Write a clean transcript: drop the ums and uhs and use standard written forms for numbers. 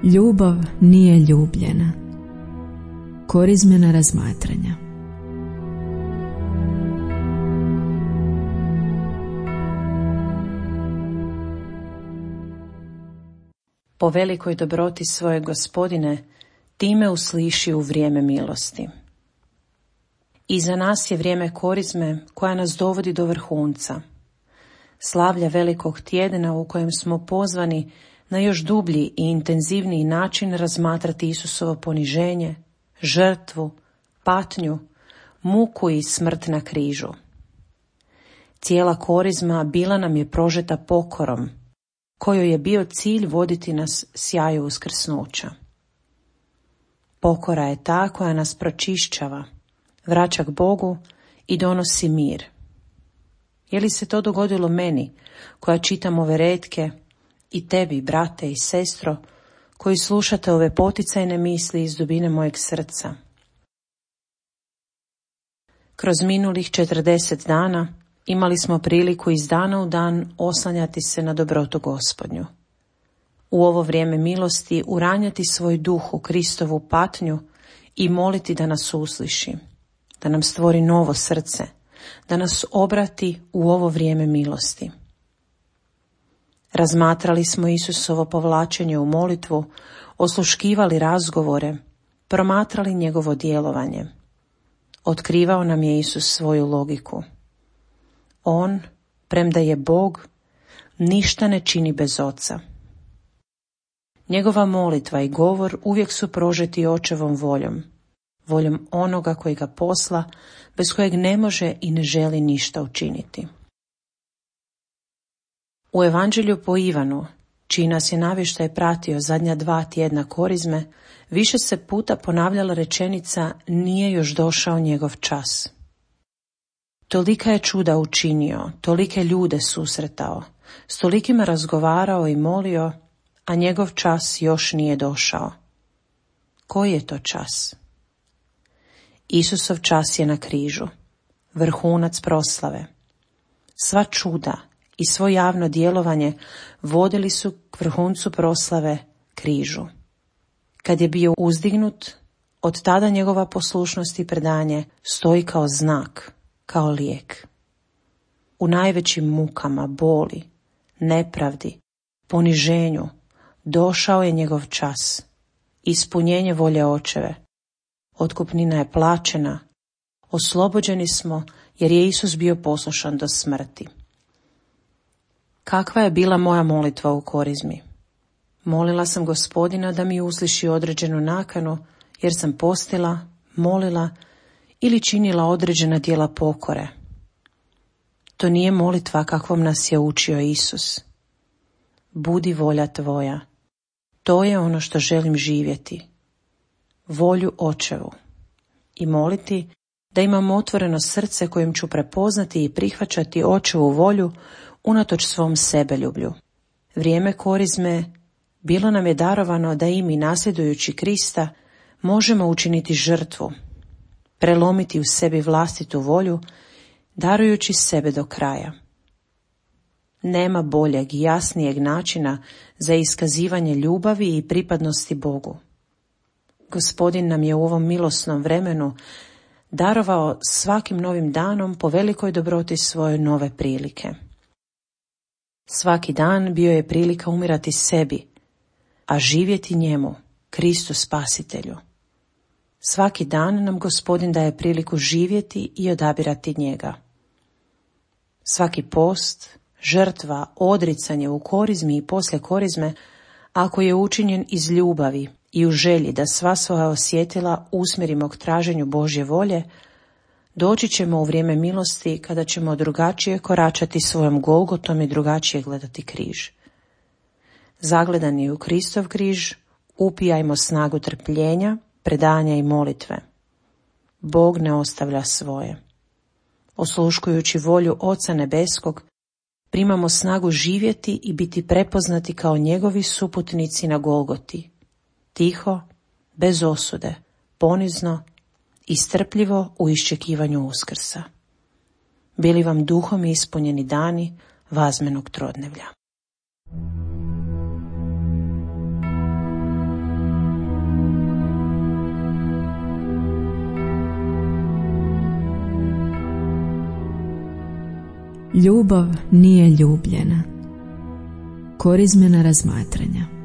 Ljubav nije ljubljena. Korizmena razmatranja. Po velikoj dobroti svoje Gospodine, ti me usliši u vrijeme milosti. Iza nas je vrijeme korizme koja nas dovodi do vrhunca. Slavlja velikog tjedna u kojem smo pozvani na još dublji i intenzivniji način razmatrati Isusovo poniženje, žrtvu, patnju, muku i smrt na križu. Cijela korizma bila nam je prožeta pokorom, kojoj je bio cilj voditi nas sjaju uskrsnuća. Pokora je ta koja nas pročišćava, vraća k Bogu i donosi mir. Je li se to dogodilo meni, koja čitam ove retke, i tebi, brate i sestro, koji slušate ove poticajne misli iz dubine mojeg srca? Kroz minulih 40 dana imali smo priliku iz dana u dan oslanjati se na dobrotu Gospodnju. U ovo vrijeme milosti uranjati svoj duh u Kristovu patnju i moliti da nas usliši, da nam stvori novo srce, da nas obrati u ovo vrijeme milosti. Razmatrali smo Isusovo povlačenje u molitvu, osluškivali razgovore, promatrali njegovo djelovanje. Otkrivao nam je Isus svoju logiku. On, premda je Bog, ništa ne čini bez Oca. Njegova molitva i govor uvijek su prožeti Očevom voljom, voljom onoga koji ga posla, bez kojeg ne može i ne želi ništa učiniti. U Evanđelju po Ivanu, čiji nas je navještaj pratio zadnja 2 tjedna korizme, više se puta ponavljala rečenica nije još došao njegov čas. Tolika je čuda učinio, tolike ljude susretao, s tolikima razgovarao i molio, a njegov čas još nije došao. Koji je to čas? Isusov čas je na križu, vrhunac proslave. Sva čuda i svo javno djelovanje vodili su k vrhuncu proslave, križu. Kad je bio uzdignut, od tada njegova poslušnost i predanje stoji kao znak, kao lijek. U najvećim mukama, boli, nepravdi, poniženju došao je njegov čas, ispunjenje volje Očeve. Otkupnina je plaćena, oslobođeni smo jer je Isus bio poslušan do smrti. Kakva je bila moja molitva u korizmi? Molila sam Gospodina da mi usliši određenu nakanu, jer sam postila, molila ili činila određena djela pokore. To nije molitva kakvom nas je učio Isus. Budi volja tvoja. To je ono što želim živjeti. Volju Očevu. I moliti da imam otvoreno srce kojim ću prepoznati i prihvaćati Očevu volju unatoč svom sebeljublju. Vrijeme korizme bilo nam je darovano da i mi, nasljedujući Krista, možemo učiniti žrtvu, prelomiti u sebi vlastitu volju, darujući sebe do kraja. Nema boljeg i jasnijeg načina za iskazivanje ljubavi i pripadnosti Bogu. Gospodin nam je u ovom milosnom vremenu darovao svakim novim danom po velikoj dobroti svoje nove prilike. Svaki dan bio je prilika umirati sebi, a živjeti njemu, Kristu Spasitelju. Svaki dan nam Gospodin daje priliku živjeti i odabirati njega. Svaki post, žrtva, odricanje u korizmi i poslije korizme, ako je učinjen iz ljubavi i u želji da sva svoja osjetila usmjerimo k traženju Božje volje, doći ćemo u vrijeme milosti kada ćemo drugačije koračati svojom Golgotom i drugačije gledati križ. Zagledani u Kristov križ, upijajmo snagu trpljenja, predanja i molitve. Bog ne ostavlja svoje. Osluškujući volju Oca Nebeskog, primamo snagu živjeti i biti prepoznati kao njegovi suputnici na Golgoti. Tiho, bez osude, ponizno i strpljivo u iščekivanju Uskrsa. Bili vam duhom ispunjeni dani vazmenog trodnevlja. Ljubav nije ljubljena. Korizmena razmatranja.